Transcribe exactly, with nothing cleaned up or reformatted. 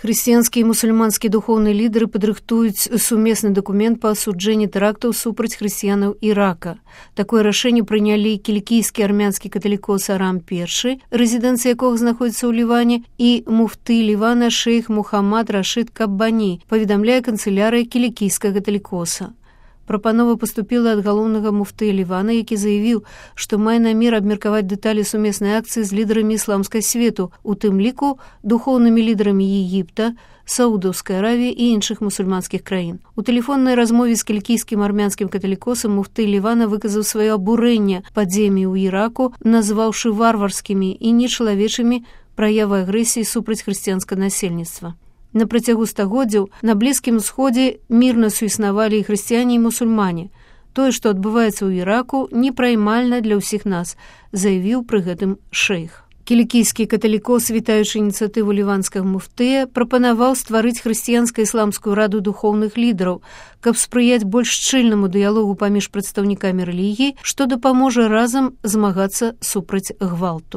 Хрысціянскія і мусульманскія духоўныя лідары падрыхтуюць сумесны дакумент па асуджэнні тэрактаў супраць хрысціянаў Ірака. Такое рашэнне прынялі кілікійскі армянскі каталікос Арам першы, рэзідэнцыя якога знаходзіцца ў Ліване, і муфты Лівана шэйх Мухаммад Рашид Каббані, паведамляе канцылярыя кілікійскага каталікоса. Прапанова паступіла ад галоўнага муфты Лівана, які заявіў, што мае намер абмеркаваць дэталі сумеснай акцыі з лідарамі ісламскай свету, у тым ліку духоўнымі лідарамі Егіпта, Саудаўскай Аравіі і іншых мусульманскіх краін. У тэлефоннай размове з кілікійскім армянскім каталікосам муфты Лівана выказаў сваё абурэнне падзеямі ў Іраку, назваўшы варварскімі і нечалавечымі праявы агрэсіі супраць хрысціянскага насельніцтва. На працягу стагоддзяў на Блізкім Усходзе мірна суіснавалі і хрысціяне, і мусульмане. Тое, што адбываецца ў Іраку, непраймальна для ўсіх нас, заявіў пры гэтым шэйх. Кілікійскі каталікос, вітаючы ініцыятыву ліванскага муфтыя, прапанаваў стварыць хрысціянска-ісламскую раду духоўных лідараў, каб спрыяць больш шчыльнаму дыялогу паміж прадстаўнікамі рэлігіі, што дапаможа разам змагацца супраць гвалту.